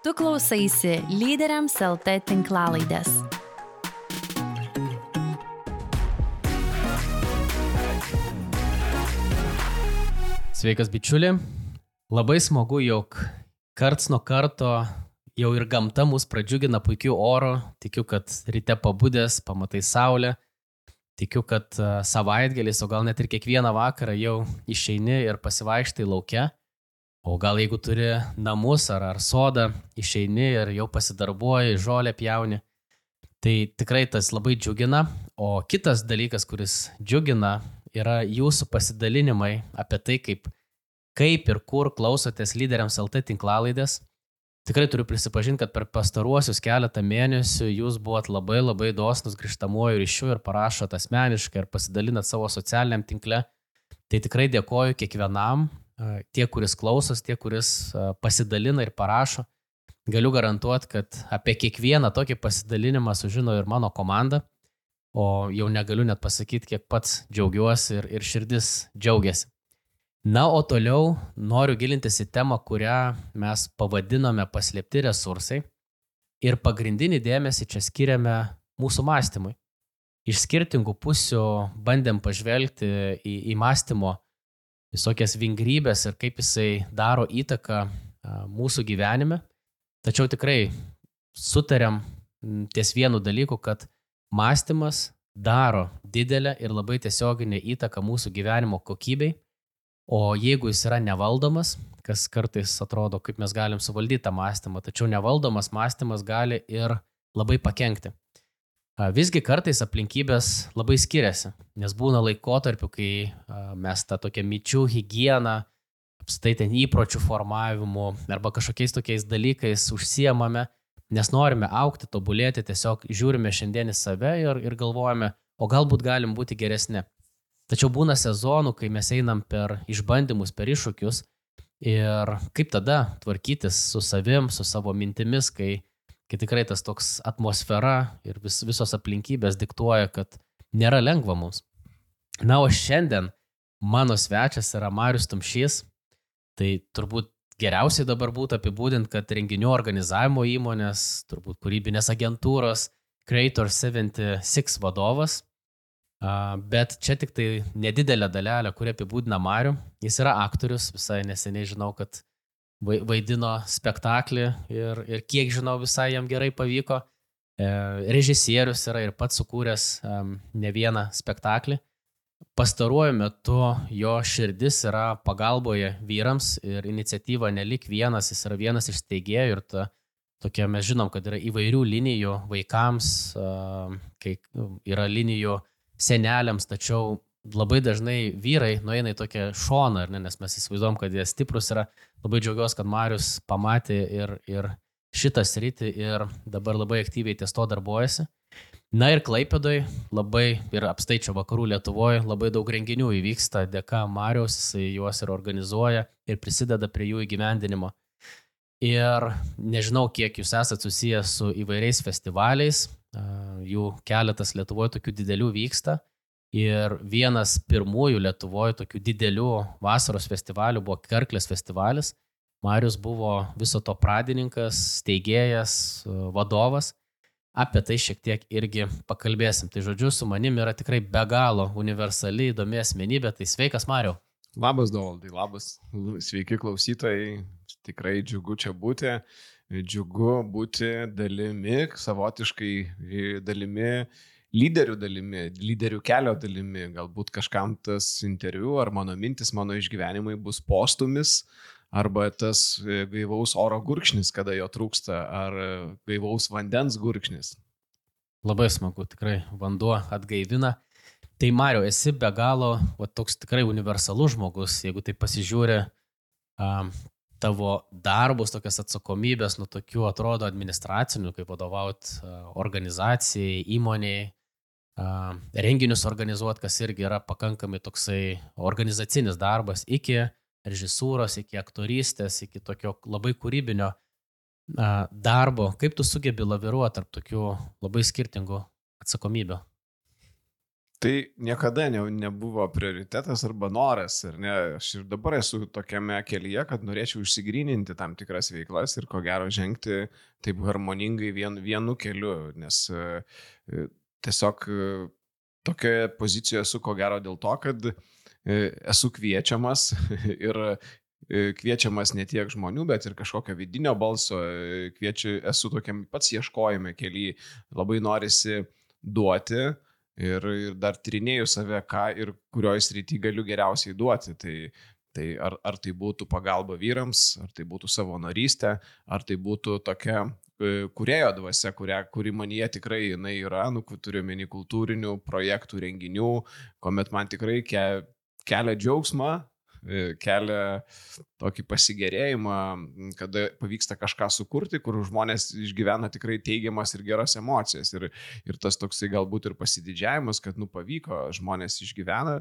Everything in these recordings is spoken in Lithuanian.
Tu klausaisi Lyderiams LT tinklalaidės. Sveikas bičiuli, labai smagu, jog karts nuo karto jau ir gamta mus pradžiugina puikiu oru, tikiu, kad ryte pabudęs, pamatai saulę, tikiu, kad savaitgaliais, o gal net ir kiekvieną vakarą jau išeini ir pasivaikštai lauke, o gal jeigu turi namus ar sodą, išeini ir jau pasidarbuoji, žolę pjauni, tai tikrai tas labai džiugina, o kitas dalykas, kuris džiugina, yra jūsų pasidalinimai apie tai, kaip ir kur klausotės Lyderiams LT tinklalaidės. Tikrai turiu prisipažinti, kad per pastaruosius keletą mėnesių jūs buvot labai dosnus grįžtamuoju ryšiu ir parašot asmeniškai ir pasidalinat savo socialiniam tinkle. Tai tikrai dėkoju kiekvienam, tie, kuris klausos, tie, kuris pasidalina ir parašo. Galiu garantuoti, kad apie kiekvieną tokį pasidalinimą sužino ir mano komanda, o jau negaliu net pasakyti, kiek pats džiaugiuosi ir širdis džiaugiasi. Na, o toliau noriu gilintis į temą, kurią mes pavadinome paslėpti resursai ir pagrindinį dėmesį čia skiriame mūsų mąstymui. Iš skirtingų pusių bandėm pažvelgti į mąstymo visokias vingrybės ir kaip jisai daro įtaką mūsų gyvenime. Tačiau tikrai sutarėm ties vienu dalyku, kad mąstymas daro didelę ir labai tiesioginę įtaką mūsų gyvenimo kokybei. O jeigu jis yra nevaldomas, kas kartais atrodo, kaip mes galim suvaldyti tą mąstymą, tačiau nevaldomas mąstymas gali ir labai pakenkti. Visgi kartais aplinkybės labai skiriasi, nes būna laikotarpių, kai mes tą tokią minčių higieną, apskritai ten įpročių formavimu arba kažkokiais tokiais dalykais užsiemame, nes norime augti, tobulėti, tiesiog žiūrime šiandien į save ir galvojame, o galbūt galim būti geresni. Tačiau būna sezonų, kai mes einam per išbandymus, per iššūkius ir kaip tada tvarkytis su savim, su savo mintimis, kai tikrai tas toks atmosfera ir visos aplinkybės diktuoja, kad nėra lengva mums. Na, o šiandien mano svečias yra Marius Tumšys, tai turbūt geriausiai dabar būtų apibūdinti, kad renginių organizavimo įmonės, turbūt kūrybinės agentūros Creator 76 vadovas. Bet čia tik tai nedidelė dalelė, kuri apibūdina Marių. Jis yra aktorius, visai neseniai žinau, kad vaidino spektaklį ir kiek žinau, visai jam gerai pavyko. Režisierius yra ir pats sukūręs ne vieną spektaklį. Pastaruoju metu jo širdis yra pagalboje vyrams ir iniciatyva Nelik vienas, jis yra vienas iš steigėjų ir tokia mes žinom, kad yra įvairių linijų vaikams, kai yra linijų seneliams, tačiau labai dažnai vyrai nueina į tokią šoną, nes mes įsivaizduom, kad jie stiprus yra. Labai džiaugiuosi, kad Marius pamatė ir šitą sritį ir dabar labai aktyviai ties to darbuojasi. Na ir Klaipėdoj labai ir apstai čia vakarų Lietuvoje labai daug renginių įvyksta dėka Mariaus, jis juos ir organizuoja ir prisideda prie jų įgyvendinimo. Ir nežinau, kiek jūs esate susijęs su įvairiais festivaliais, jų keletas Lietuvoje tokių didelių vyksta ir vienas pirmųjų Lietuvoje tokių didelių vasaros festivalių buvo Karklės festivalis. Marius buvo viso to pradininkas, steigėjas, vadovas. Apie tai šiek tiek irgi pakalbėsim. Tai žodžiu, su manim yra tikrai be galo universali, įdomi asmenybė. Tai sveikas, Mariau. Labas, Dovaldai, labas. Sveiki klausytojai. Tikrai džiugu čia būti. Džiugu būti dalimi, savotiškai dalimi, lyderių kelio dalimi. Galbūt kažkam tas interviu ar mano mintis, mano išgyvenimai bus postumis, arba tas gaivaus oro gurkšnis, kada jo trūksta, ar gaivaus vandens gurkšnis. Labai smagu, tikrai vanduo atgaivina. Tai Mariau, esi be galo toks tikrai universalus žmogus, jeigu tai pasižiūri tavo darbus, tokias atsakomybės, nuo tokių atrodo administracinių, kaip vadovauti organizacijai, įmonėjai, renginius organizuoti, kas irgi yra pakankamai toksai organizacinis darbas, iki režisūros, iki aktorystės, iki tokio labai kūrybinio darbo. Kaip tu sugebi laviruoti tarp tokių labai skirtingų atsakomybių? Tai niekada nebuvo prioritetas arba noras, ar ne? Aš ir dabar esu tokiame kelyje, kad norėčiau išsigryninti tam tikras veiklas ir ko gero žengti taip harmoningai vienu keliu, nes tiesiog tokioje pozicijoje esu ko gero dėl to, kad esu kviečiamas ir kviečiamas ne tiek žmonių, bet ir kažkokio vidinio balso, esu tokiam pats ieškojime kelyje, labai norisi duoti. Ir dar tyrinėju save, ką ir kurioje srityje galiu geriausiai duoti. Tai ar tai būtų pagalba vyrams, ar tai būtų savanorystė, ar tai būtų tokia kūrėjo dvasia, kuri manyje tikrai jinai yra, turiu omeny kultūrinių projektų, renginių, kuomet man tikrai kelia džiaugsmą, kelia tokį pasigėrėjimą, kada pavyksta kažką sukurti, kur žmonės išgyvena tikrai teigiamas ir geras emocijas. Ir tas toksai galbūt ir pasididžiavimas, kad pavyko, žmonės išgyvena,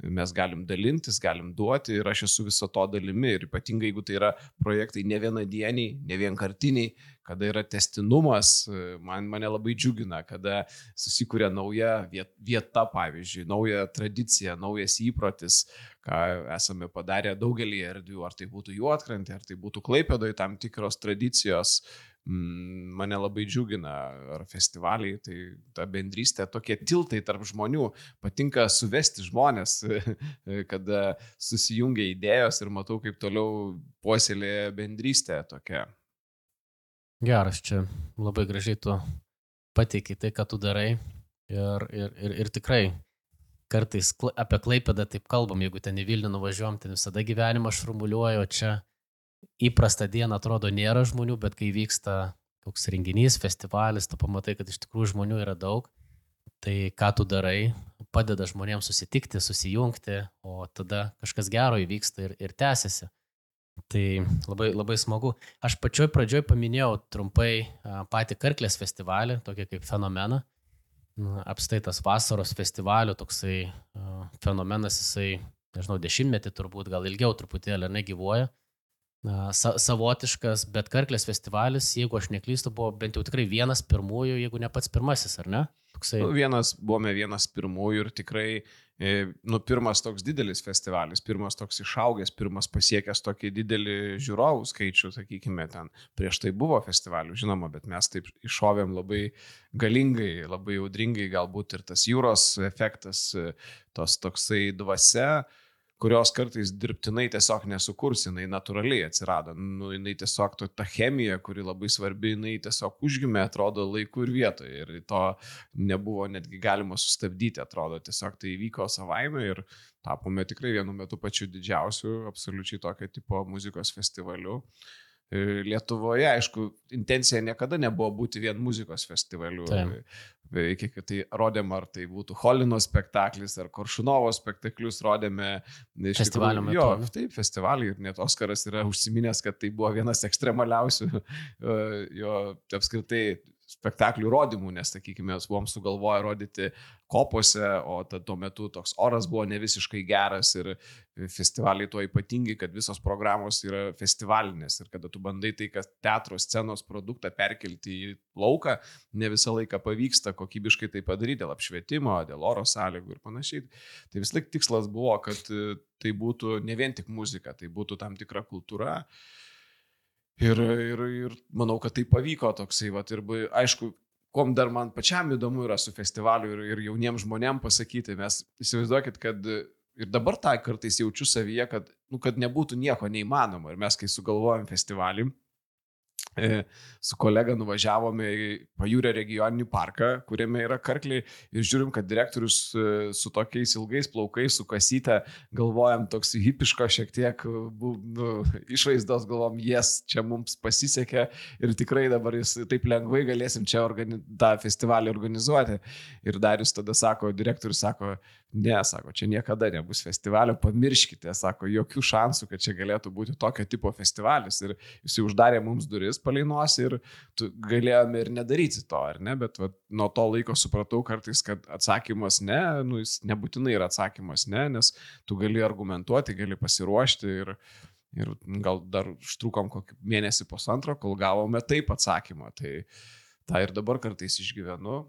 mes galim dalintis, galim duoti ir aš esu viso to dalimi. Ir ypatingai, jeigu tai yra projektai ne vienadieniai, ne vienkartiniai, kada yra tęstinumas, mane labai džiugina, kada susikuria nauja vieta, pavyzdžiui, nauja tradicija, naujas įprotis, ką esame padarę daugelį erdvių, ar tai būtų Juodkrantė, ar tai būtų Klaipėdoje tam tikros tradicijos, mane labai džiugina, ar festivaliai, tai ta bendrystė, tokie tiltai tarp žmonių, patinka suvesti žmonės, kada susijungia idėjos ir matau, kaip toliau puoselėja bendrystė tokia. Geras, čia labai gražiai tu pateikai tai, ką tu darai ir tikrai kartais apie Klaipėdą taip kalbam, jeigu ten į Vilnių nuvažiuojam, ten visada gyvenimą šurmuliuoja, o čia įprastą dieną atrodo nėra žmonių, bet kai vyksta koks renginys, festivalis, tu pamatai, kad iš tikrųjų žmonių yra daug, tai ką tu darai, padeda žmonėms susitikti, susijungti, o tada kažkas gero įvyksta ir tęsiasi. Tai labai, labai smagu. Aš pačioj pradžioj paminėjau trumpai patį Karklės festivalį, tokį kaip fenomeną. Apstaitas vasaros festivalio toksai fenomenas, jisai, nežinau, 10-metį turbūt, gal ilgiau truputėlį negyvuoja. Savotiškas, bet Karklės festivalis, jeigu aš neklystu, buvo bent jau tikrai vienas pirmųjų, jeigu ne pats pirmasis, ar ne? Toksai... Buvome vienas pirmųjų ir tikrai pirmas toks didelis festivalis, pirmas toks išaugęs, pirmas pasiekęs tokį didelį žiūrovų skaičių, sakykime, ten prieš tai buvo festivalių, žinoma, bet mes taip iššovėm labai galingai, labai audringai, galbūt ir tas jūros efektas, tos toksai dvasia, kurios kartais dirbtinai tiesiog nesukurs, jinai natūraliai atsirado. Jinai tiesiog ta chemija, kuri labai svarbi, jinai tiesiog užgimė, atrodo, laiku ir vietoje. Ir to nebuvo netgi galima sustabdyti, atrodo, tiesiog tai įvyko savaime ir tapome tikrai vienu metu pačiu didžiausiu, absoliučiai tokio tipo muzikos festivaliu. Lietuvoje, aišku, intencija niekada nebuvo būti vien muzikos festivaliu. Kiek tai rodėm, ar tai būtų Cholino spektaklis, ar Koršunovo spektaklius rodėme. Festivalio metu. Jo, taip, festivalį ir net Oskaras yra užsiminęs, kad tai buvo vienas ekstremaliausių jo apskritai spektaklių rodymų, nes, sakykime, mes buvom sugalvoję rodyti kopose, o tuo metu toks oras buvo ne visiškai geras ir festivaliai tuo ypatingi, kad visos programos yra festivalinės ir kada tu bandai tai, kad teatro scenos produktą perkelti į lauką, ne visą laiką pavyksta kokybiškai tai padaryti dėl apšvietimo, dėl oro sąlygų ir panašiai. Tai vis laik tikslas buvo, kad tai būtų ne vien tik muzika, tai būtų tam tikra kultūra. Ir manau, kad tai pavyko toksai, ir aišku, kom dar man pačiam įdomu yra su festivaliu ir jauniems žmonėms pasakyti, mes įsivaizduokit, kad ir dabar tą kartais jaučiu savyje, kad nebūtų nieko neįmanoma. Ir mes, kai sugalvojom festivalį, su kolega nuvažiavome į Pajūrio regioninį parką, kuriame yra Karkliai ir žiūrim, kad direktorius su tokiais ilgais plaukais, su kasyte, galvojam toks hipiško šiek tiek išvaizdos, galvom, čia mums pasisekė ir tikrai dabar jis taip lengvai galėsim čia tą festivalį organizuoti. Ir Darius tada sako, direktorius sako, ne, sako, čia niekada nebus festivalio, pamirškite, sako, jokių šansų, kad čia galėtų būti tokio tipo festivalis. Ir jis uždarė mums duris palei nosį ir galėjome ir nedaryti to, ar ne? Bet nuo to laiko supratau kartais, kad atsakymas ne, jis nebūtinai yra atsakymas ne, nes tu gali argumentuoti, gali pasiruošti ir gal dar užtrukom kokį mėnesį pusantro, kol gavome taip atsakymą. Tai tą ir dabar kartais išgyvenu.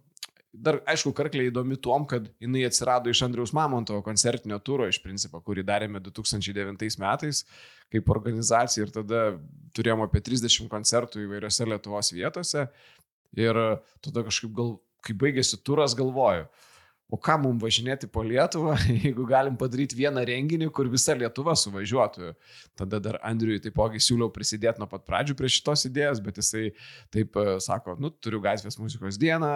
dar, aišku, Karklė įdomi tuom, kad jinai atsirado iš Andriaus Mamontovo koncertinio turo, iš principo, kurį darėme 2009 metais kaip organizacija ir tada turėjome apie 30 koncertų įvairiose Lietuvos vietose ir tada kažkaip kai baigėsi turas, galvoju, o ką mums važinėti po Lietuvą, jeigu galim padaryti vieną renginį, kur visa Lietuva suvažiuotų. Tada dar Andriui taipogi siūliau prisidėti nuo pat pradžių prie šitos idėjos, bet jisai taip sako, turiu gatvės muzikos dieną,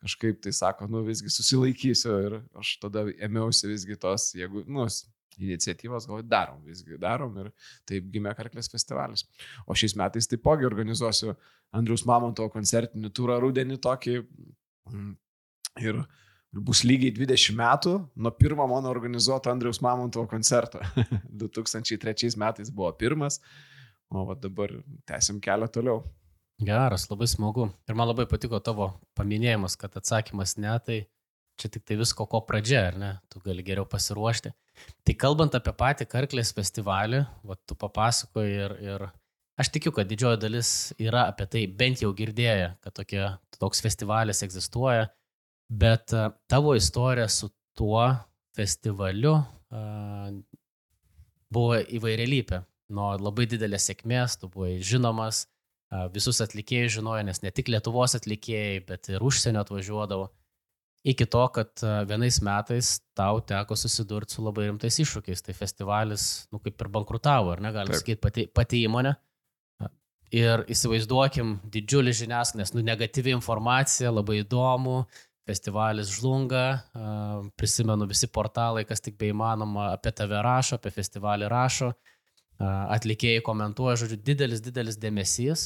kažkaip tai sako, visgi susilaikysiu ir aš tada ėmiausi visgi tos, jeigu, iniciatyvos, visgi darom ir taip gimė Karklės festivalis. O šiais metais taipogi organizuosiu Andriaus Mamontovo koncertinį turą rudenį tokį ir bus lygiai 20 metų nuo pirmo mano organizuoto Andriaus Mamontovo koncerto. 2003 metais buvo pirmas, o dabar tęsim kelią toliau. Geras, labai smagu. Ir man labai patiko tavo paminėjimas, kad atsakymas ne, tai čia tik tai visko ko pradžia, ar ne? Tu gali geriau pasiruošti. Tai kalbant apie patį Karklės festivalį, tu papasakoji ir aš tikiu, kad didžioji dalis yra apie tai bent jau girdėję, kad toks festivalis egzistuoja. Bet tavo istorija su tuo festivaliu buvo įvairialypė. Nuo labai didelės sėkmės, tu buvai žinomas, visus atlikėjus žinojo, nes ne tik Lietuvos atlikėjai, bet ir užsienio atvažiuodavo. Iki to, kad vienais metais tau teko susidurti su labai rimtais iššūkiais. Tai festivalis, kaip ir bankrutavo, ar ne, galim sakyti, pati įmonė. Ir įsivaizduokim didžiulį žiniasklaidą, nes negatyvi informacija, labai įdomu. Festivalis žlunga, prisimenu visi portalai, kas tik beįmanoma apie tave rašo, apie festivalį rašo, atlikėjai komentuoja, žodžiu, didelis dėmesys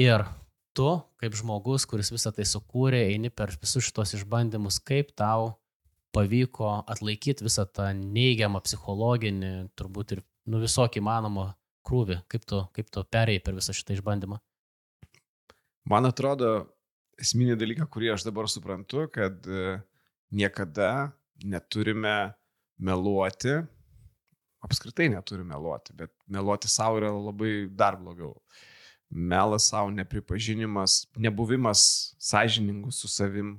ir tu, kaip žmogus, kuris visą tai sukūrė, eini per visus šitos išbandymus, kaip tau pavyko atlaikyti visą tą neigiamą psichologinį, turbūt ir visokį įmanomą krūvį, kaip tu perėjai per visą šitą išbandymą. Man atrodo, esminį dalyką, kurį aš dabar suprantu, kad niekada neturime meluoti, apskritai neturime meluoti, bet meluoti savo yra labai dar blogiau. Melas savo, nepripažinimas, nebuvimas sąžiningų su savim.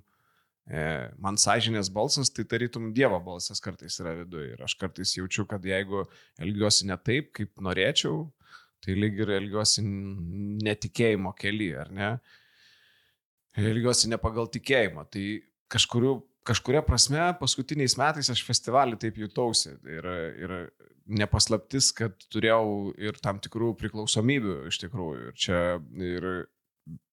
Man sąžinės balsas, tai tarytum Dievo balsas kartais yra viduje. Ir aš kartais jaučiu, kad jeigu elgiuosi ne taip, kaip norėčiau, tai lyg ir elgiuosi netikėjimo kely, ar ne? Elgiuosi ne pagal tikėjimą. Tai kažkuria prasme paskutiniais metais aš festivalį taip jutausi. Ir nepaslaptis, kad turėjau ir tam tikrų priklausomybių iš tikrųjų. Ir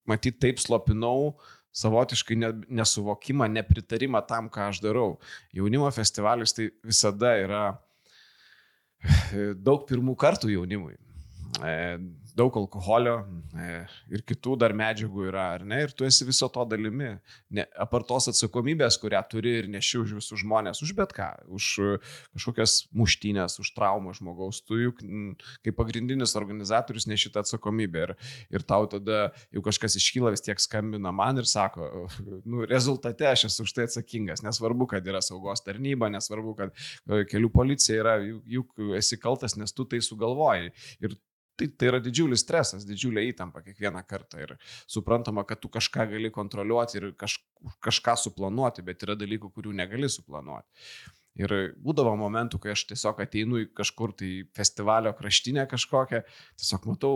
matyt, taip slopinau savotiškai nesuvokimą, nepritarimą tam, ką aš darau. Jaunimo festivalis tai visada yra daug pirmų kartų jaunimui. Daug alkoholio ir kitų dar medžiagų yra, ar ne? Ir tu esi viso to dalimi. Apart tos atsakomybės, kurią turi ir neši už visus žmonės, už bet ką, už kažkokias muštynės, už traumą žmogaus, tu juk kaip pagrindinis organizatorius neši tą atsakomybę. Ir tau tada jau kažkas iškyla, vis tiek skambina man ir sako, rezultate aš esu už tai atsakingas. Nesvarbu, kad yra saugos tarnyba, nesvarbu, kad kelių policija yra, juk esi kaltas, nes tu tai sugalvojai. Ir tai yra didžiulis stresas, didžiulė įtampa kiekvieną kartą ir suprantama, kad tu kažką gali kontroliuoti ir kažką suplanuoti, bet yra dalykų, kurių negali suplanuoti. Ir būdavo momentų, kai aš tiesiog ateinu į kažkur tai festivalio kraštinę kažkokią, tiesiog matau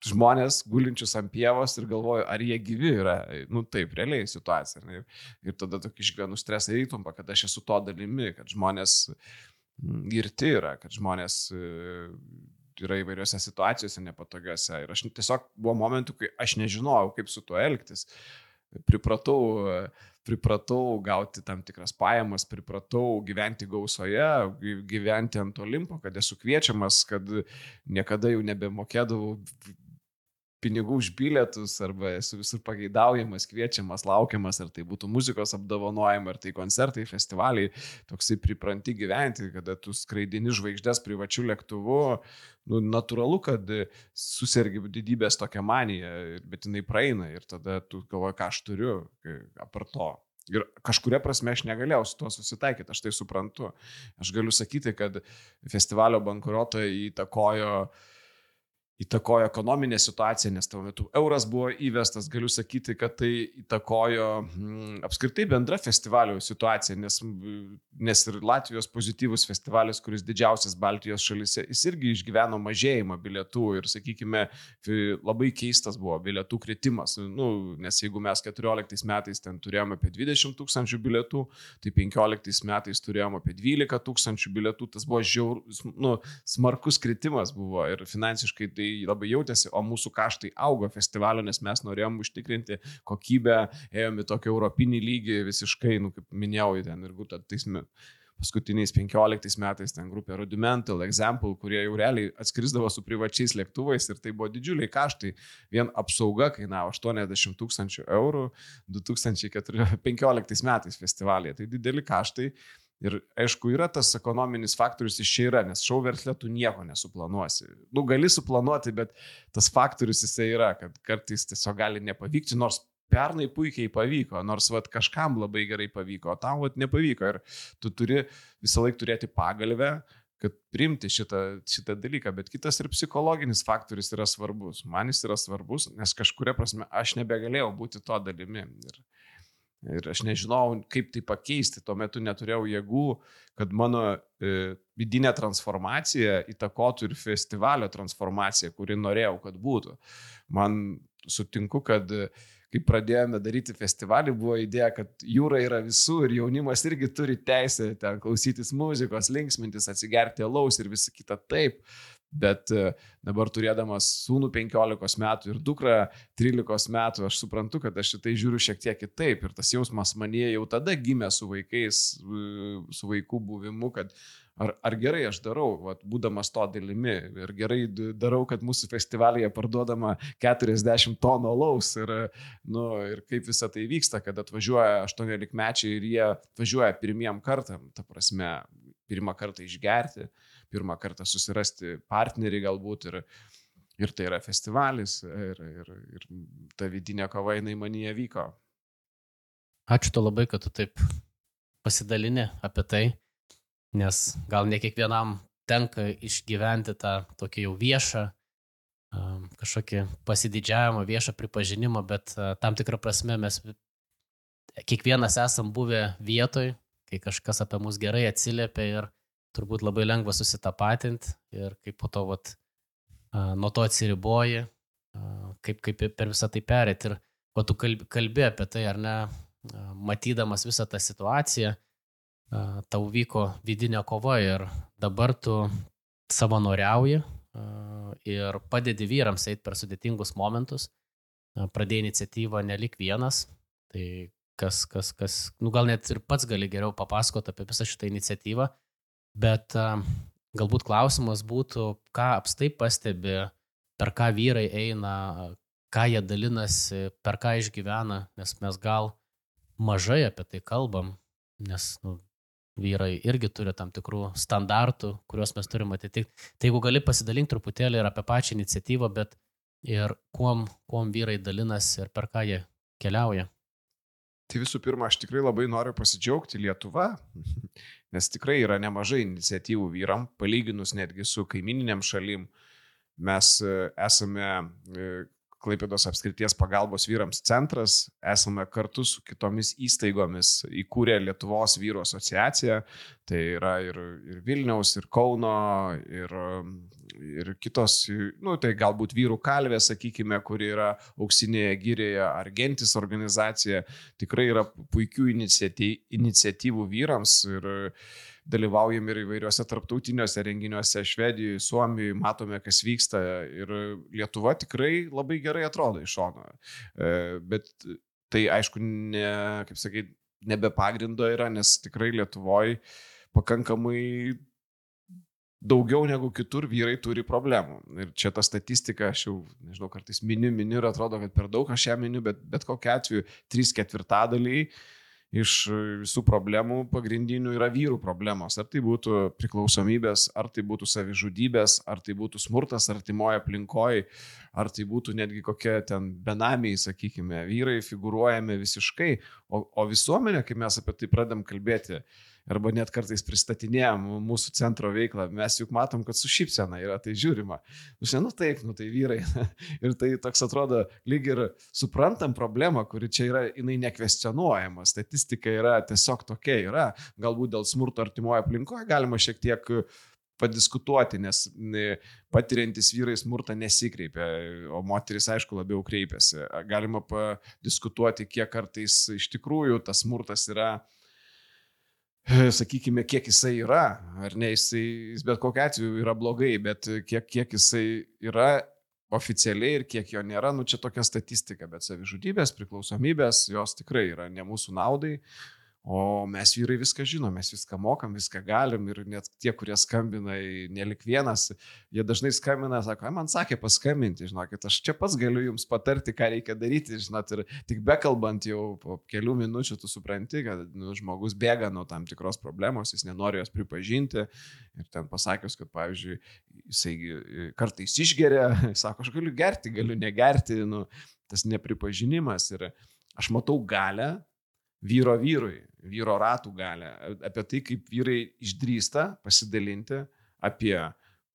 žmonės gulinčius ant pievos ir galvoju, ar jie gyvi yra, taip, realiai situacija. Ir tada tokį išgyvenu stresą ir įtampą, kad aš esu to dalimi, kad žmonės girti yra, kad žmonės yra įvairiose situacijose nepatogiose. Ir aš tiesiog buvo momentų, kai aš nežinojau, kaip su tuo elgtis. Pripratau gauti tam tikras pajamas, pripratau gyventi gausoje, gyventi ant Olimpo, kad esu kviečiamas, kad niekada jau nebemokėdavau pinigų už bilietus, arba esu visur pageidaujamas, kviečiamas, laukiamas, ar tai būtų muzikos apdovanojimai, ar tai koncertai, festivaliai, toksai pripranti gyventi, kada tu skraidini žvaigždės privačių lėktuvų, natūralu, kad susergi didybės tokia manija, bet jinai praeina ir tada tu galvoji, ką aš turiu apart to. Ir kažkuria prasme aš negalėjau su tuo susitaikyti, aš tai suprantu. Aš galiu sakyti, kad festivalio bankrotą įtakojo įtakojo ekonominę situaciją, nes tuo metu euras buvo įvestas, galiu sakyti, kad tai įtakojo apskritai bendra festivalio situacija, nes ir Latvijos pozityvus festivalis, kuris didžiausias Baltijos šalyse, jis irgi išgyveno mažėjimą bilietų ir, sakykime, labai keistas buvo bilietų kritimas, nes jeigu mes 14 metais ten turėjome apie 20 000 bilietų, tai 15 metais turėjome apie 12 000 bilietų, tas buvo smarkus kritimas buvo ir finansiškai tai labai jautėsi, o mūsų kaštai augo festivalio, nes mes norėjom užtikrinti kokybę, ėjome į tokį europinį lygį visiškai, kaip minėjau, ten ir tais paskutiniais 15 metais ten grupė Rudimental, Example, kurie jau realiai atskrisdavo su privačiais lėktuvais ir tai buvo didžiuliai kaštai. Vien apsauga kainavo 80 000 eurų 2015 metais festivalyje. Tai dideli kaštai. Ir aišku, yra tas ekonominis faktorius iš čia yra, nes šou versle tu nieko nesuplanuosi. Gali suplanuoti, bet tas faktorius jisai yra, kad kartais tiesiog gali nepavykti, nors pernai puikiai pavyko, nors kažkam labai gerai pavyko, o tau nepavyko. Ir tu turi visą laiką turėti pagalvę, kad priimti šitą dalyką, bet kitas ir psichologinis faktorius yra svarbus. Man jis yra svarbus, nes kažkuria prasme aš nebegalėjau būti to dalimi. Ir aš nežinau, kaip tai pakeisti, tuo metu neturėjau jėgų, kad mano vidinė transformacija įtakotų ir festivalio transformaciją, kuri norėjau, kad būtų. Man sutinku, kad kai pradėjome daryti festivalį, buvo idėja, kad jūra yra visų ir jaunimas irgi turi teisę ten klausytis muzikos, linksmintis, atsigerti alaus ir visa kita taip. Bet dabar turėdamas sūnų 15 metų ir dukrą 13 metų, aš suprantu, kad aš šitai žiūriu šiek tiek kitaip. Ir tas jausmas manyje jau tada gimė su vaikais, su vaikų buvimu, kad ar gerai aš darau, būdamas to dalimi. Ir gerai darau, kad mūsų festivalyje parduodama 40 tonų alaus. Ir kaip visa tai vyksta, kad atvažiuoja 18-mečiai ir jie atvažiuoja pirmiem kartam, ta prasme, pirmą kartą išgerti, pirmą kartą susirasti partnerį galbūt ir tai yra festivalis ir ta vidinė kova jinai manyje vyko. Ačiū to labai, kad tu taip pasidalini apie tai, nes gal ne kiekvienam tenka išgyventi tą tokį jau viešą, kažkokį pasididžiavimą, viešą pripažinimą, bet tam tikrą prasme mes kiekvienas esam buvę vietoj, kai kažkas apie mus gerai atsiliepia ir turbūt labai lengva susitapatinti ir kaip po to nuo to atsiriboji, kaip per visą tai perėti. Ir tu kalbi apie tai, ar ne, matydamas visą tą situaciją, tau vyko vidinė kova ir dabar tu savanoriauji ir padedi vyrams eiti per sudėtingus momentus, pradėjai iniciatyvą nelik vienas, tai kas, gal net ir pats gali geriau papasakoti apie visą šitą iniciatyvą, bet galbūt klausimas būtų, ką apstai pastebi, per ką vyrai eina, ką jie dalinasi, per ką išgyvena, nes mes gal mažai apie tai kalbam, nes vyrai irgi turi tam tikrų standartų, kuriuos mes turim atitikti. Tai jeigu gali pasidalinti truputėlį ir apie pačią iniciatyvą, bet ir kuom vyrai dalinasi ir per ką jie keliauja. Tai visų pirma, aš tikrai labai noriu pasidžiaugti Lietuva, nes tikrai yra nemažai iniciatyvų vyram, palyginus netgi su kaimininėm šalim. Mes esame Klaipėdos apskrities pagalbos vyrams centras, esame kartu su kitomis įstaigomis įkūrę Lietuvos vyrų asociaciją, tai yra ir Vilniaus, ir Kauno, ir kitos, tai galbūt vyrų kalvė, sakykime, kuri yra Auksinėje girėje, ar Gentis organizacija, tikrai yra puikių iniciatyvų vyrams ir dalyvaujam ir įvairiuose tarptautiniuose renginiuose Švedijoje, Suomijoje, matome, kas vyksta ir Lietuva tikrai labai gerai atrodo iš šono. Bet tai aišku, ne be pagrindo yra, nes tikrai Lietuvoje pakankamai daugiau negu kitur vyrai turi problemų. Ir čia ta statistika, aš jau, nežinau, kartais miniu ir atrodo, kad per daug aš ją miniu, bet kokiu atveju 3/4 iš visų problemų pagrindinių yra vyrų problemos. Ar tai būtų priklausomybės, ar tai būtų savižudybės, ar tai būtų smurtas artimoje aplinkoje, ar tai būtų netgi kokie ten benamiai, sakykime, vyrai figūruojame visiškai, o visuomenė, kai mes apie tai pradedam kalbėti, arba net kartais pristatinėjom mūsų centro veiklą, mes juk matom, kad su šypsena yra tai žiūrima. Nu taip, tai vyrai. Ir tai toks atrodo, lyg ir suprantam problemą, kuri čia yra, jinai nekvestionuojama, statistika yra tiesiog tokia yra, galbūt dėl smurto artimoje aplinkoje galima šiek tiek padiskutuoti, nes patiriantis vyrai smurtą nesikreipia, o moteris, aišku, labiau kreipiasi. Galima padiskutuoti, kiek kartais iš tikrųjų tas smurtas yra, sakykime, kiek jisai yra, ar ne, jis bet kokiu atveju yra blogai, bet kiek jisai yra oficialiai ir kiek jo nėra, čia tokia statistika, bet savižudybės, priklausomybės, jos tikrai yra ne mūsų naudai. O mes vyrai viską žinom, mes viską mokam, viską galim ir net tie, kurie skambina, nelik vienas, jie dažnai skambina, sako, man sakė paskambinti, žinokit, aš čia pats galiu jums patarti, ką reikia daryti, žinot, ir tik bekalbant jau po kelių minučių tu supranti, kad žmogus bėga nuo tam tikros problemos, jis nenori jos pripažinti ir ten pasakius, kad pavyzdžiui, jisai kartais išgeria, sako, aš galiu gerti, galiu negerti, tas nepripažinimas ir aš matau galę vyro ratų galę, apie tai, kaip vyrai išdrįsta pasidalinti apie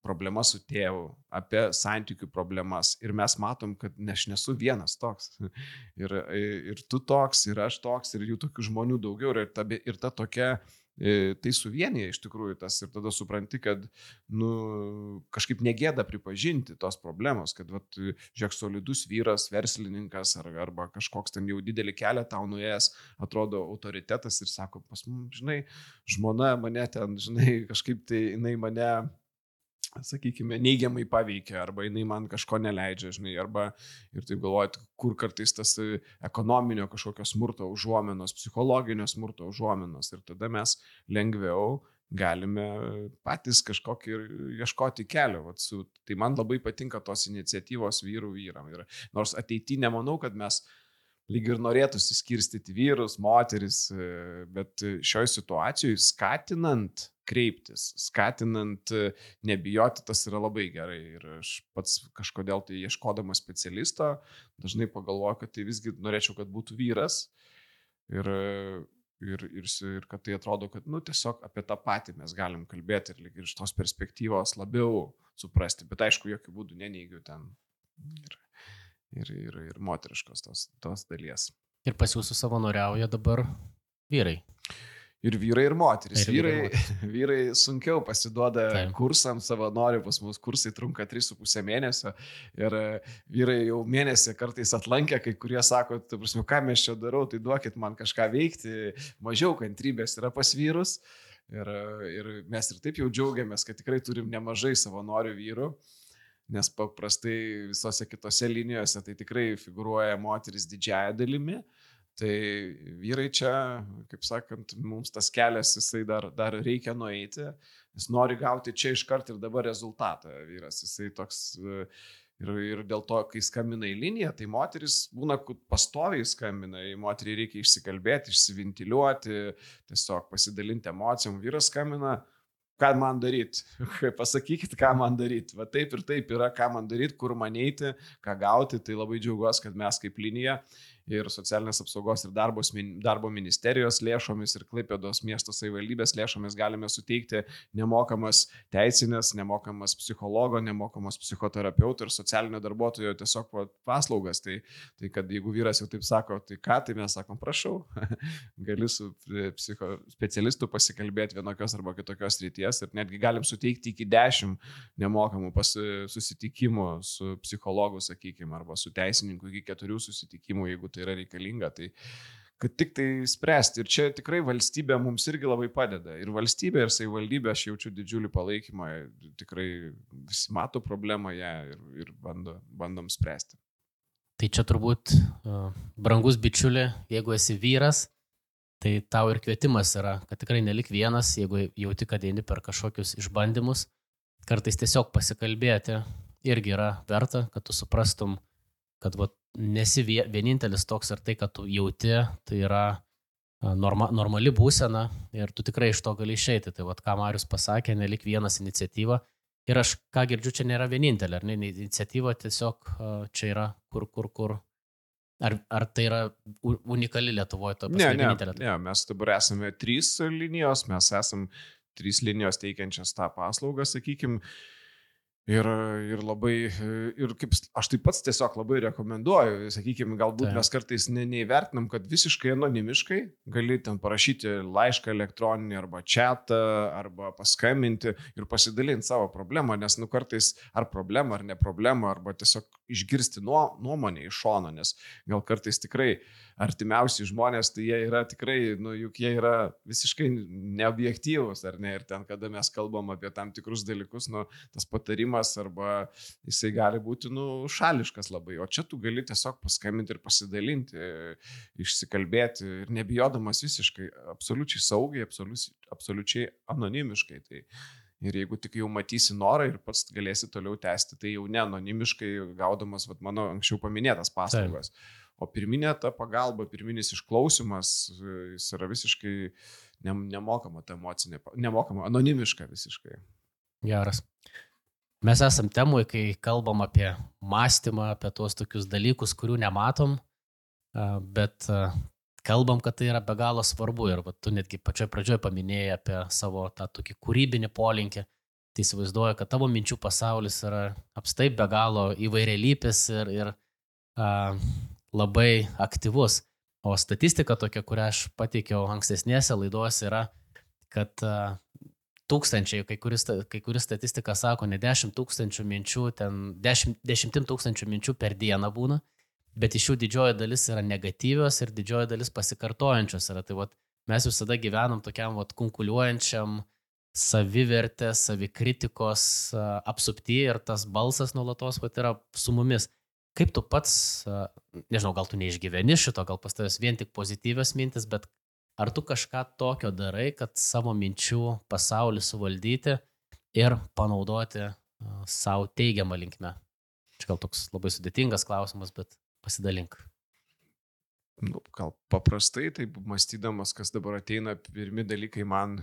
problemas su tėvu, apie santykių problemas. Ir mes matom, kad aš nesu vienas toks. Ir tu toks, ir aš toks, ir jų tokių žmonių daugiau. Ir ta tokia, tai suvienyje iš tikrųjų tas. Ir tada supranti, kad kažkaip negėda pripažinti tos problemos, kad žiūrėk, solidus vyras, verslininkas arba kažkoks ten jau didelį kelią tau nuėjęs, atrodo autoritetas ir sako, pas mums, žinai, žmona mane ten, žinai, kažkaip tai jinai mane, sakykime, neigiamai paveikia, arba jinai man kažko neleidžia, žinai, arba ir taip galvojat, kur kartais tas ekonominio kažkokio smurto užuominos, psichologinio smurto užuominos ir tada mes lengviau galime patys kažkokį ieškoti kelio. Tai man labai patinka tos iniciatyvos vyram. Ir nors ateityje nemanau, kad mes lyg ir norėtųsi skirstyti vyrus, moteris, bet šioje situacijoje skatinant kreiptis, skatinant nebijoti, tas yra labai gerai. Ir aš pats kažkodėl tai ieškodamas specialisto, dažnai pagalvoju, kad tai visgi norėčiau, kad būtų vyras ir kad tai atrodo, kad tiesiog apie tą patį mes galim kalbėti ir lyg ir iš tos perspektyvos labiau suprasti, bet aišku, jokių būdų neneigiu ten ir moteriškos tos dalies. Ir pas jūsų savanoriauja dabar vyrai. Ir vyrai, ir moteris. Vyrai sunkiau pasiduoda kursams savanorių, pas mus kursai trunka 3,5 mėnesio ir vyrai jau mėnesį kartais atlankę, kai kurie sako, ką mes čia darau, tai duokit man kažką veikti, mažiau kantrybės yra pas vyrus ir mes ir taip jau džiaugiamės, kad tikrai turim nemažai savanorių vyrų, nes paprastai visose kitose linijose tai tikrai figuruoja moteris didžiąją dalimi. Tai vyrai čia, kaip sakant, mums tas kelias, jisai dar reikia nueiti, jis nori gauti čia iškart ir dabar rezultatą vyras, jisai toks ir dėl to, kai skambina į liniją, tai moteris būna, kad pastoviai skambina, į moterį reikia išsikalbėti, išsiventiliuoti, tiesiog pasidalinti emocijom, vyras skambina, ką man daryti, pasakykit, ką man daryti, va taip ir taip yra, ką man daryti, kur man eiti, ką gauti, tai labai džiaugiuosi, kad mes kaip linija ir socialinės apsaugos ir darbo ministerijos lėšomis ir Klaipėdos miesto savivaldybės lėšomis galime suteikti nemokamas teisinės, nemokamas psichologo, nemokamas psichoterapeuto ir socialinio darbuotojo tiesiog paslaugas. Tai kad jeigu vyras jau taip sako, tai ką, tai mes sakom, prašau, gali su specialistu pasikalbėti vienokios arba kitokios ryties ir netgi galim suteikti iki 10 nemokamų susitikimų su psichologu, sakykime, arba su teisininku iki 4 susitikimų, jeigu tai yra reikalinga, tai kad tik tai spręsti. Ir čia tikrai valstybė mums irgi labai padeda. Ir valstybė, ir savivaldybė, aš jaučiu didžiulį palaikymą, tikrai visi mato problemą ją ir bandom spręsti. Tai čia turbūt, brangus bičiuli, jeigu esi vyras, tai tau ir kvietimas yra, kad tikrai nelik vienas, jeigu jauti, kad eini per kažkokius išbandymus, kartais tiesiog pasikalbėti irgi yra verta, kad tu suprastum, kad nesi vienintelis toks ir tai, kad tu jauti, tai yra normali būsena ir tu tikrai iš to gali išeiti. Tai ką Marius pasakė, nelik vienas iniciatyva. Ir aš, ką girdžiu, čia nėra vienintelė, ar ne? Iniciatyva tiesiog čia yra kur Ar tai yra unikali Lietuvoje, to Ne, vienintelė? mes dabar esame 3 linijos, mes esame 3 linijos teikiančias tą paslaugą, sakykime. Ir labai, ir kaip aš taip pats tiesiog labai rekomenduoju, sakykime, galbūt mes kartais neįvertinam, kad visiškai anonimiškai gali ten parašyti laišką elektroninį arba chatą, arba paskambinti ir pasidalinti savo problemą, nes kartais ar problemą, ar ne problemą, arba tiesiog išgirsti nuomonę iš šono, nes gal kartais tikrai artimiausi žmonės, tai jie yra tikrai, juk jie yra visiškai neobjektyvūs, ar ne, ir ten, kada mes kalbam apie tam tikrus dalykus, tas patarimas arba jisai gali būti, šališkas labai, o čia tu gali tiesiog paskambinti ir pasidalinti, išsikalbėti ir nebijodamas visiškai, absoliučiai saugiai, absoliučiai anonimiškai. Tai ir jeigu tik jau matysi norą ir pats galėsi toliau tęsti, tai jau ne anonimiškai gaudamas mano anksčiau paminėtas paslaugas. O pirminė ta pagalba, pirminis išklausimas, jis yra visiškai nemokama, ta emocinė, nemokama, anonimiška visiškai. Geras. Mes esam temoje, kai kalbam apie mąstymą, apie tuos tokius dalykus, kurių nematom, bet kalbam, kad tai yra be galo svarbu. Ir tu netgi pačioj pradžioj paminėjai apie savo tą tokį kūrybinį polinkį. Tai įsivaizduoju, kad tavo minčių pasaulis yra apstai be galo įvairialypis ir labai aktyvus. O statistika tokia, kurią aš pateikiau ankstesnėse laidose, yra, kad tūkstančiai, kai kuri statistika sako, ne 10 tūkstančių minčių, ten 10 tūkstančių minčių per dieną būna, bet iš jų didžioji dalis yra negatyvios ir didžioji dalis pasikartojančios yra. Tai mes visada gyvenam tokiam kunkuliuojančiam savivertės, savikritikos apsupty ir tas balsas nuolatos yra su mumis. Kaip tu pats, nežinau, gal tu neišgyveni šito, gal pas tavęs vien tik pozityvios mintis, bet ar tu kažką tokio darai, kad savo minčių pasaulį suvaldyti ir panaudoti savo teigiamą linkmę? Čia gal toks labai sudėtingas klausimas, bet pasidalink. Gal paprastai, taip mąstydamas, kas dabar ateina, pirmi dalykai man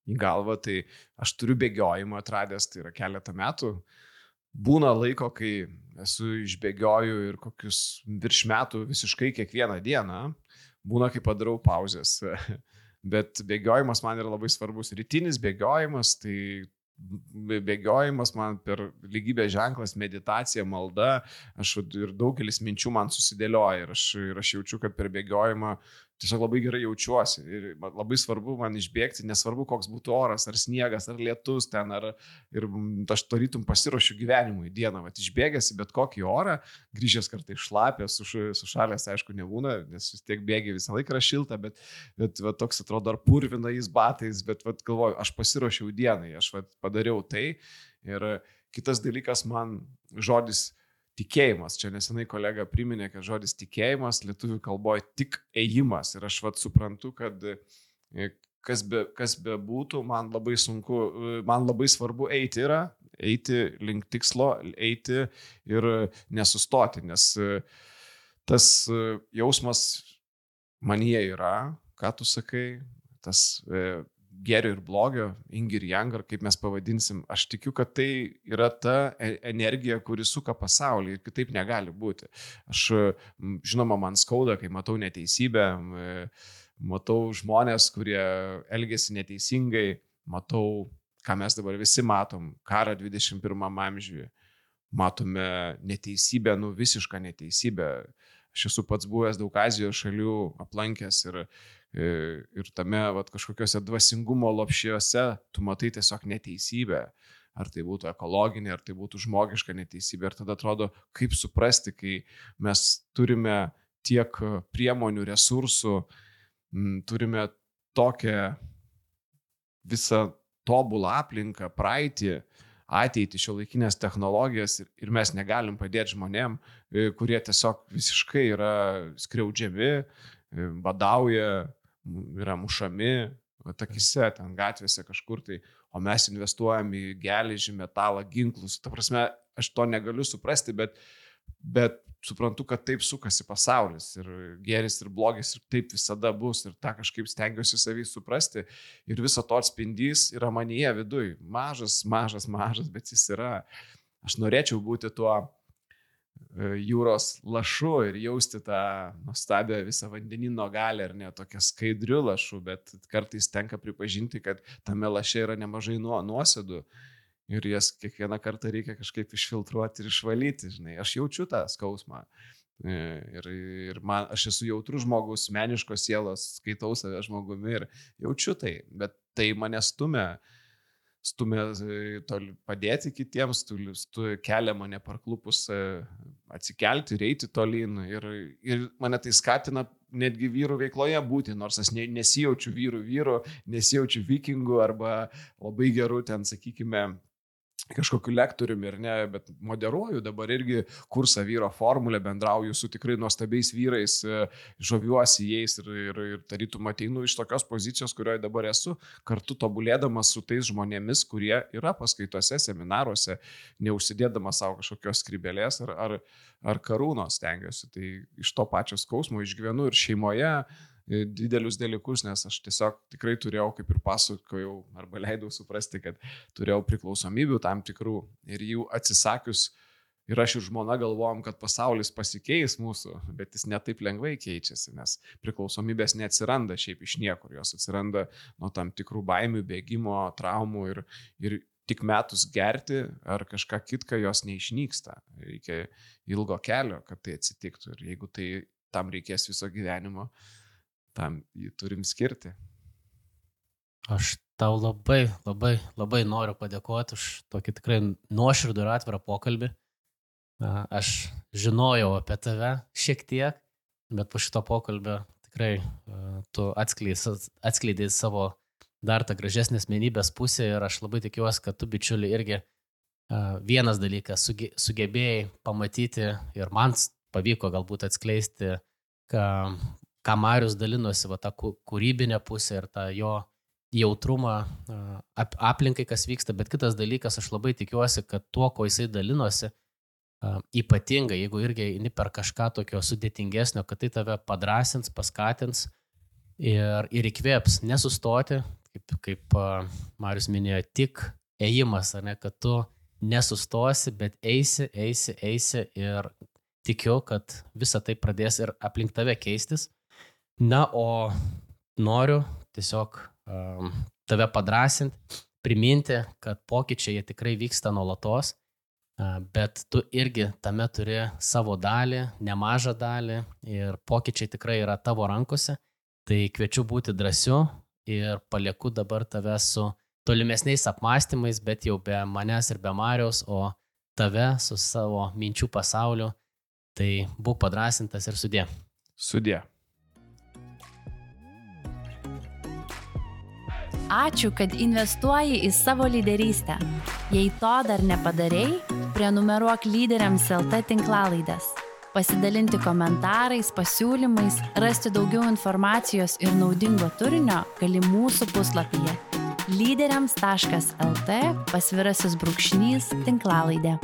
į galvą, tai aš turiu bėgiojimą atradęs, tai yra keletą metų. Būna laiko, kai esu išbėgioju ir kokius virš metų visiškai kiekvieną dieną. Būna, kai padarau pauzės. Bet bėgiojimas man yra labai svarbus. Rytinis bėgiojimas, tai bėgiojimas man per lygybės ženklas, meditacija, malda. Ir daugelis minčių man susidėlioja. Ir aš jaučiu, kad per bėgiojimą tiesiog labai gerai jaučiuosi. Ir labai svarbu man išbėgti, nesvarbu, koks būtų oras, ar sniegas, ar lietus ten, ir aš tarytum pasiruošiu gyvenimui dieną. Išbėgęs į bet kokį orą, grįžęs kartais šlapės, sušalęs, aišku, nebūna, nes vis tiek bėgi visą laiką yra šilta, bet toks atrodo ar purvinais batais, bet galvoju, aš pasiruošiau dienai, aš padariau tai. Ir kitas dalykas man žodis tikėjimas. Čia nesenai kolega priminė, kad žodis tikėjimas lietuvių kalboje tik ėjimas. Ir aš suprantu, kad kas be būtų, man labai sunku, man labai svarbu eiti link tikslo, eiti ir nesustoti, nes tas jausmas manyje yra, ką tu sakai, tas gėrio ir blogio, yin ir yang, ar kaip mes pavadinsim, aš tikiu, kad tai yra ta energija, kuri suka pasaulį ir kitaip negali būti. Žinoma, man skauda, kai matau neteisybę, matau žmonės, kurie elgiasi neteisingai, matau, ką mes dabar visi matom, karą 21 amžiuje, matome neteisybę, visišką neteisybę. Aš esu pats buvęs daug Azijos šalių aplankęs ir tame kažkokiuose dvasingumo lopšiuose tu matai tiesiog neteisybę. Ar tai būtų ekologinė, ar tai būtų žmogiška neteisybė. Ir tada atrodo, kaip suprasti, kai mes turime tiek priemonių, resursų, turime tokią visą tobulą aplinką, praeitį, ateitį, šiuolaikinės technologijas ir mes negalim padėti žmonėm, kurie tiesiog visiškai yra skriaudžiami, badauja, yra mušami, akise, ten gatvėse kažkur tai, o mes investuojam į geležį, metalą, ginklus. Ta prasme, aš to negaliu suprasti, bet suprantu, kad taip sukasi pasaulis ir gėris ir blogis ir taip visada bus ir tą kažkaip stengiuosi savį suprasti ir viso to atspindys yra manyje viduj. Mažas, bet jis yra. Aš norėčiau būti tuo jūros lašu ir jausti tą nuostabią visą vandenino galę, ar ne, tokia skaidriu lašu, bet kartais tenka pripažinti, kad tame laše yra nemažai nuosėdų ir jas kiekvieną kartą reikia kažkaip išfiltruoti ir išvalyti, žinai. Aš jaučiu tą skausmą. Ir aš esu jautrus žmogus, meniškos sielos, skaitau save žmogumi ir jaučiu tai, bet tai mane stumia padėti kitiems, kelia mane parklupus atsikelti ir eiti tolyn ir mane tai skatina netgi vyrų veikloje būti, nors aš nesijaučiu vyrų, nesijaučiu vikingų arba labai gerų ten, sakykime, kažkokiu lektoriumi ir ne, bet moderuoju dabar irgi kursą vyro formulę, bendrauju su tikrai nuostabiais vyrais, žaviuosi jais ir tarytum ateinu iš tokios pozicijos, kurioje dabar esu, kartu tobulėdamas su tais žmonėmis, kurie yra paskaitose, seminaruose, neužsidėdamas savo kažkokios skrybelės ar karūnos stengiuosi. Tai iš to pačio skausmo išgyvenu ir šeimoje didelius dalykus, nes aš tiesiog tikrai turėjau, kaip ir pasakojau, arba leidau suprasti, kad turėjau priklausomybių tam tikrų ir jų atsisakius ir aš ir žmona galvojom, kad pasaulis pasikeis mūsų, bet jis netaip lengvai keičiasi, nes priklausomybės neatsiranda šiaip iš niekur, jos atsiranda nuo tam tikrų baimių, bėgimo, traumų ir tik metus gerti ar kažką kitką jos neišnyksta. Reikia ilgo kelio, kad tai atsitiktų ir jeigu tai tam reikės viso gyvenimo, tam jį turim skirti. Aš tau labai noriu padėkoti už tokį tikrai nuoširdų ir atvirą pokalbį. Aš žinojau apie tave šiek tiek, bet po šito pokalbio tikrai tu atskleidai savo dar tą gražesnę asmenybės pusę ir aš labai tikiuosi, kad tu, bičiuli, irgi vienas dalykas sugebėjai pamatyti ir man pavyko galbūt atskleisti, ką Marius dalinosi, tą kūrybinę pusę ir tą jo jautrumą aplinkai, kas vyksta, bet kitas dalykas, aš labai tikiuosi, kad tuo, ko jisai dalinosi, ypatingai, jeigu irgi eini per kažką tokio sudėtingesnio, kad tai tave padrąsins, paskatins ir įkvėps nesustoti, kaip Marius minėjo, tik ėjimas, ar ne, kad tu nesustosi, bet eisi ir tikiu, kad visa tai pradės ir aplink tave keistis. Na, o noriu tiesiog tave padrąsinti, priminti, kad pokyčiai jie tikrai vyksta nuolatos, bet tu irgi tame turi savo dalį, nemažą dalį ir pokyčiai tikrai yra tavo rankose. Tai kviečiu būti drąsiu ir palieku dabar tave su tolimesniais apmąstymais, bet jau be manęs ir be Mariaus, o tave su savo minčių pasauliu. Tai būk padrąsintas ir sudie. Sudie. Ačiū, kad investuoji į savo lyderystę. Jei to dar nepadarei, prenumeruok Lyderiams LT tinklalaidės. Pasidalinti komentarais, pasiūlymais, rasti daugiau informacijos ir naudingo turinio gali mūsų puslapyje lyderiams.lt /tinklalaidė.